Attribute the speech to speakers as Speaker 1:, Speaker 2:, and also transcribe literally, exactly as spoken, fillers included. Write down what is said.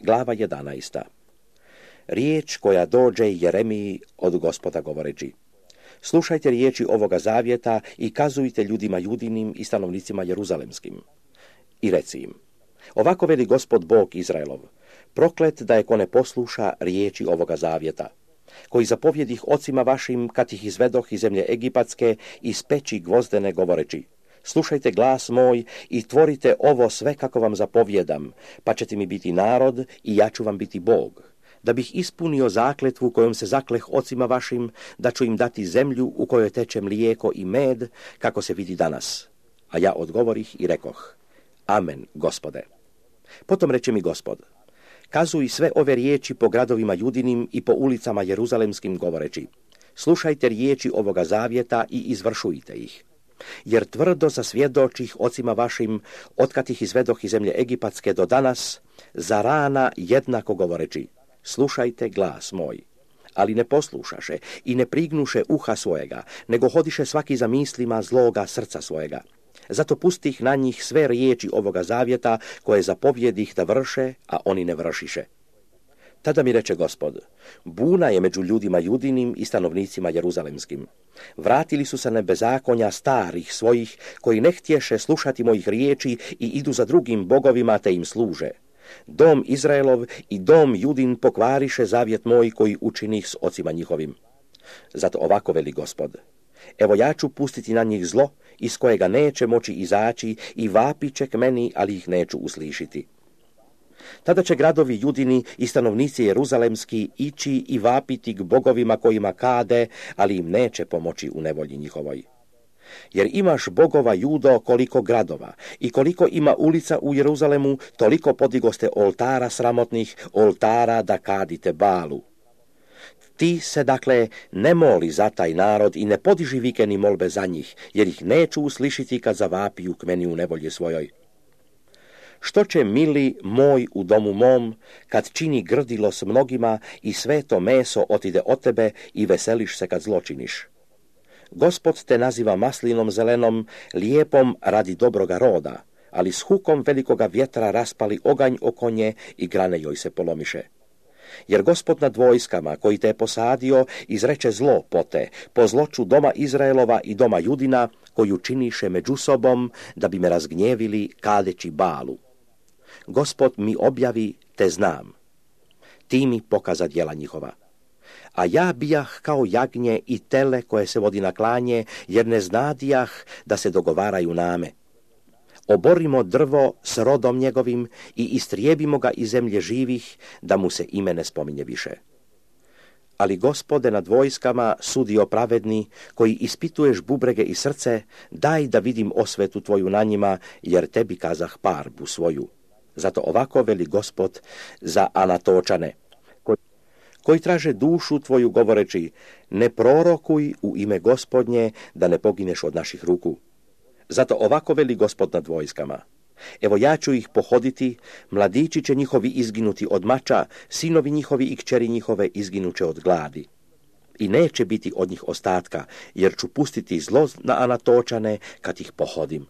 Speaker 1: Glava jedanaesta. Riječ koja dođe Jeremiji od Gospoda govoreći: slušajte riječi ovoga zavjeta i kazujte ljudima judinim i stanovnicima jeruzalemskim. I reci im: ovako veli Gospod Bog Izraelov, proklet da je ko ne posluša riječi ovoga zavjeta, koji zapovjedih ocima vašim kad ih izvedoh iz zemlje Egipatske iz peći gvozdene govoreći: slušajte glas moj i tvorite ovo sve kako vam zapovjedam, pa ćete mi biti narod i ja ću vam biti Bog, da bih ispunio zakletvu kojom se zakleh ocima vašim, da ću im dati zemlju u kojoj teče mlijeko i med, kako se vidi danas. A ja odgovorih i rekoh: amen, Gospode. Potom reče mi Gospod: kazuj sve ove riječi po gradovima judinim i po ulicama jeruzalemskim govoreći: slušajte riječi ovoga zavjeta i izvršujte ih. Jer tvrdo zasvjedočih ocima vašim, otkad ih izvedoh iz zemlje Egipatske do danas, za rana jednako govoreći: slušajte glas moj. Ali ne poslušaše i ne prignuše uha svojega, nego hodiše svaki za mislima zloga srca svojega. Zato pustih na njih sve riječi ovoga zavjeta koje zapovjedih da vrše, a oni ne vršiše. Tada mi reče Gospod: buna je među ljudima judinim i stanovnicima jeruzalemskim. Vratili su se na bezakonja starih svojih, koji ne htješe slušati mojih riječi i idu za drugim bogovima te im služe. Dom Izraelov i dom Judin pokvariše zavjet moj koji učinih s ocima njihovim. Zato ovako veli Gospod: evo ja ću pustiti na njih zlo, iz kojega neće moći izaći, i vapit će k meni, ali ih neću uslišiti. Tada će gradovi Judini i stanovnici jeruzalemski ići i vapiti k bogovima kojima kade, ali im neće pomoći u nevolji njihovoj. Jer imaš bogova, Judo, koliko gradova, i koliko ima ulica u Jeruzalemu, toliko podigoste oltara sramotnih, oltara da kadite Balu. Ti se, dakle, ne moli za taj narod i ne podiži vike ni molbe za njih, jer ih neću uslišiti kad zavapiju k meni u nevolji svojoj. Što će, mili moj, u domu mom, kad čini grdilo s mnogima i sve to meso otide od tebe i veseliš se kad zločiniš? Gospod te naziva maslinom zelenom, lijepom radi dobroga roda, ali s hukom velikoga vjetra raspali oganj oko nje i grane joj se polomiše. Jer Gospod nad vojskama, koji te je posadio, izreče zlo po te, po zloču doma Izraelova i doma Judina, koju činiše među sobom, da bi me razgnjevili kadeći Balu. Gospod mi objavi, te znam. Ti mi pokaza djela njihova. A ja bijah kao jagnje i tele koje se vodi na klanje, jer ne znadijah da se dogovaraju name. Oborimo drvo s rodom njegovim i istrijebimo ga iz zemlje živih, da mu se ime ne spominje više. Ali Gospode nad vojskama, sudio pravedni, koji ispituješ bubrege i srce, daj da vidim osvetu tvoju na njima, jer tebi kazah parbu svoju. Zato ovako veli Gospod za Anatočane, koji, koji traže dušu tvoju govoreći: ne prorokuj u ime Gospodnje, da ne pogineš od naših ruku. Zato ovako veli Gospod nad vojskama: evo ja ću ih pohoditi, mladići će njihovi izginuti od mača, sinovi njihovi i kćeri njihove izginuće od gladi. I neće biti od njih ostatka, jer ću pustiti zlo na Anatočane kad ih pohodim.